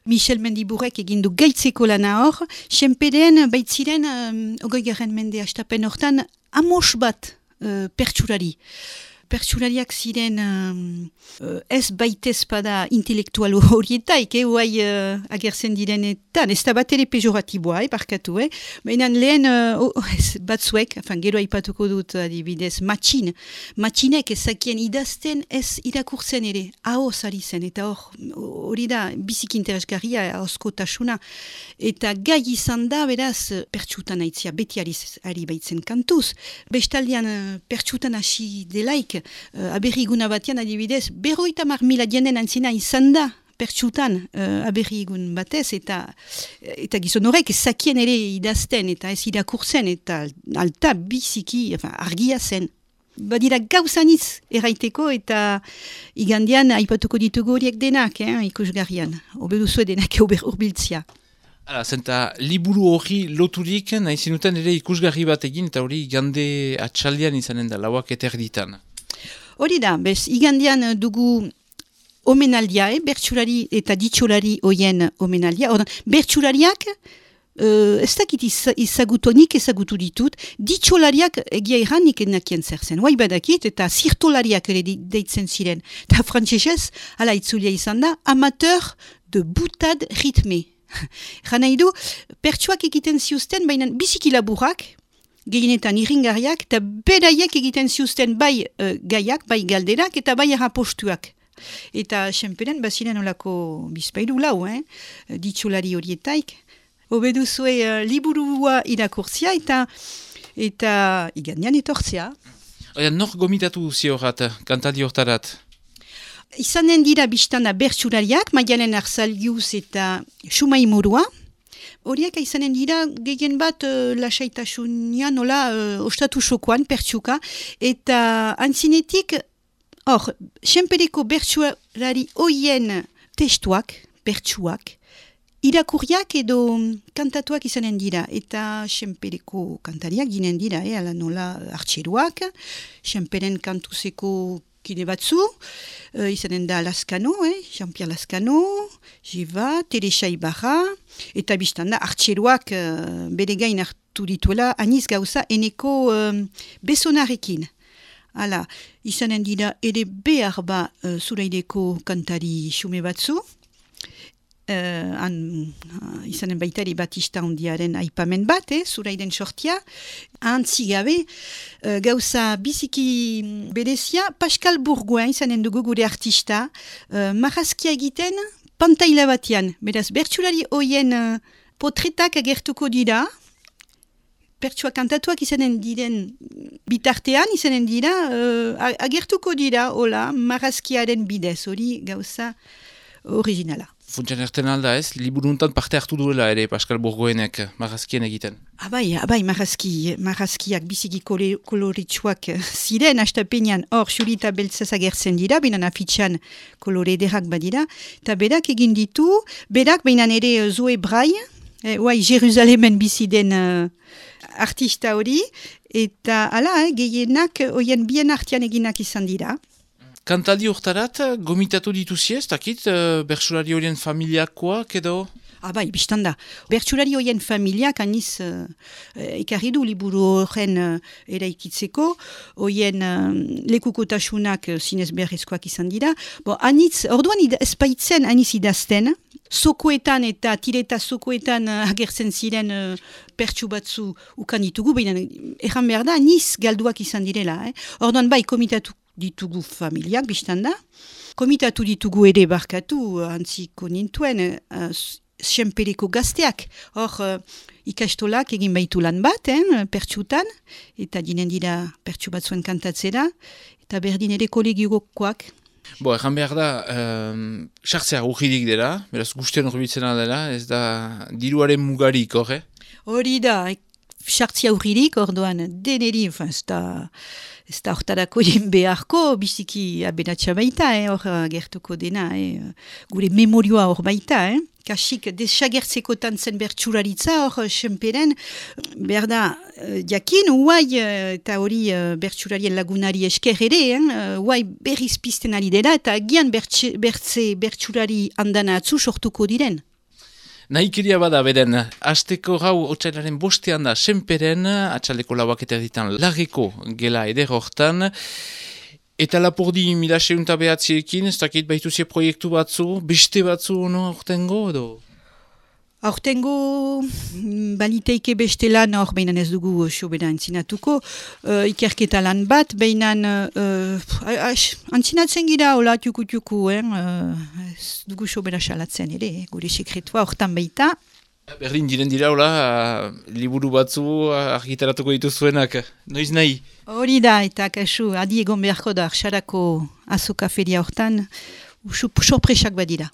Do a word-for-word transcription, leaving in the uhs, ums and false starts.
Michel Mendiburrek egin du gaitzeko lana hor, senperen baitziren, um, ogoi garren mende astapen hortan, amos bat uh, pertsurari. Pertsurariak ziren um, uh, ez baitez pada intelektual horietaik, eh, oai uh, agertzen direnetan, ez da bat ere pejoratiboa, eh, barkatu, eh? Baina lehen uh, oh, ez, batzuek, afan, gero aipatuko dut adibidez, matxin, matxinek ezakien idazten ez irakurtzen ere, ahoz ari zen, eta hor, hori da, bizik interesgarria, ahozkotasuna, eta gai izan da, beraz, pertsutan aitzia, beti ari, ari baitzen kantuz, bestaldean uh, pertsutan hasi delaik, Uh, aberriguna batean adibidez, berroita mar mila dienen antzina izan da pertsutan uh, aberrigun batez, eta, eta gizon horrek zakien ere idazten, eta ez irakurtzen, eta alta biziki, enfin, argia zen. Badira gauzanitz erraiteko, eta igandian aipatuko ditugu horiek denak, eh, ikusgarrian, obeduzue denak urbiltzia. Hala, zenta, liburu hori loturik, nahi zinuten ere ikusgarri bat egin, eta hori igande atxaldian izanen da, lauak eterditan. Hori da, bez, igandian dugu omenaldia, eh? Bertsulari eta ditxolari hoien omenaldia. Ordan, bertsulariak, uh, ez dakit izagutonik ezagutu ditut, ditxolariak egia erran nik enakien zer zen. Huai badakit eta zirtolariak ere deitzen ziren. Eta frantzesez, ala itzulia izan da, amateur de boutade ritme. Gana idu, pertsuak egiten ziuzten, baina biziki laburrak, gehienetan irringarriak, eta beraiek egiten ziuzten bai uh, gaiak, bai galderak, eta bai errapostuak. Eta senperen, baziren olako bizpailu lau, eh? Ditxolari horietaik. Obeduzue uh, liburua irakurtzia, eta eta igandian etortzea. Oia, nor gomitatu ziorat, kantadi hortarat? Izanen dira biztana bertsulariak, Maialen Arzaliuz eta Sumai Murua. Horiek izanen dira gehien bat uh, lasaitasunia nola uh, ostatu sokoan, pertsuka, eta antzinetik, hor, senpereko bertsulari hoien testuak, pertsuak, irakurriak edo kantatuak izanen dira, eta senpereko kantariak ginen dira, eh, ala nola artxeruak, senperen kantuzeko kide batzu, uh, izanen da Lascano, eh? Jean-Pierre Lascano, Jiva, Teresa Ibarra, eta biztan da, artxeruak uh, bere gain hartu dituela, aniz gauza, eneko um, besonarekin. Hala, izanen dira ere behar ba uh, zuraideko kantari xume batzu, Uh, an, uh, izanen baitari Batista Ondiaren aipamen bat, eh, zuraiden sortia, antzi gabe, uh, gauza biziki berezia, Pascal Bourgoin izanen dugu gure artista, uh, marrazkia egiten pantaila batean, beraz, bertsulari hoien uh, potretak agertuko dira, pertsua kantatuak izanen diren bitartean, izanen dira, uh, agertuko dira, hola, marrazkiaren bidez, hori gauza originala. Funtsan erten alda ez, liburuntan parte hartu duela ere Pascal Bourgoenek marrazkien egiten. Abai, abai, marrazki, marrazkiak biziki koloritsuak ziren, astapenean hor xurita beltzaz agertzen dira, benan afitxan kolore ederrak badira, eta berak egin ditu, berak benan ere Zoe Brai, eh, oai, Jeruzalemen biziden uh, artista hori, eta ala, eh, gehienak, oien bien artian eginak izan dira. Kantadi hortarat, gomitatu dituzi ez, takit, uh, bertsulari horien familiakoak edo? Ah bai, biztan da. Bertsulari horien familiak aniz uh, ekarri du liburu horren uh, eraikitzeko, horien uh, lekukotasunak uh, zinez beharrezkoak izan dira. Bo, anitz, orduan ez baitzen aniz idazten, sokoetan eta tireta sokoetan uh, agertzen ziren uh, pertsu batzu ukan ditugu, baina erran behar da, aniz galduak izan direla. Eh? Orduan bai, komitatu ditugu familiak, biztan da. Komitatu ditugu ere barkatu, antziko nintuen, uh, senpereko gazteak. Hor, uh, ikastolak egin baitu lan bat, eh, pertsutan, eta dinen dira pertsu batzuen kantatzera, eta berdin ere kolegiokoak. Bo, erran behar da, um, sartzea urridik dela, beraz guztien horbitzena dela, ez da diruaren mugarik, hor, eh? Hori da, sartzea urridik, orduan deneri, enfin, ez da... Ez da hortarako jen beharko, biziki aberatxa baita, eh, hor gertuko dena, eh, gure memorioa hor baita. Eh. Kasik desagertzeko tantzen bertsularitza hor senperen, behar da, jakin, huai, eta hori bertsularien lagunari esker ere, huai eh, berriz pizten ari dela, eta gian bertse, bertze bertsulari andana atzu sortuko diren. Nahikeria bada beden, asteko gau otsailaren bostean da senperen, atxaldeko lauak eta ditan lageko gela eder hortan, eta Lapurdi mila seunta behatziekin, ez dakit baituzie proiektu batzu, beste batzu no hortengo edo? Aurtengo baliteike beste lan hor behinan ez dugu sobera antzinatuko, uh, ikerketa lan bat, behinan uh, antzinatzen gira hola tiuku-tiuku, eh? uh, ez dugu sobera salatzen ere, eh? Gure sekretua hortan baita. Berdin diren dira hola, uh, liburu batzu uh, argitaratuko dituzuenak, noiz nahi? Hori da, eta kasu, adi egon beharko da, xarako azoka feria hortan, sorpresak badira.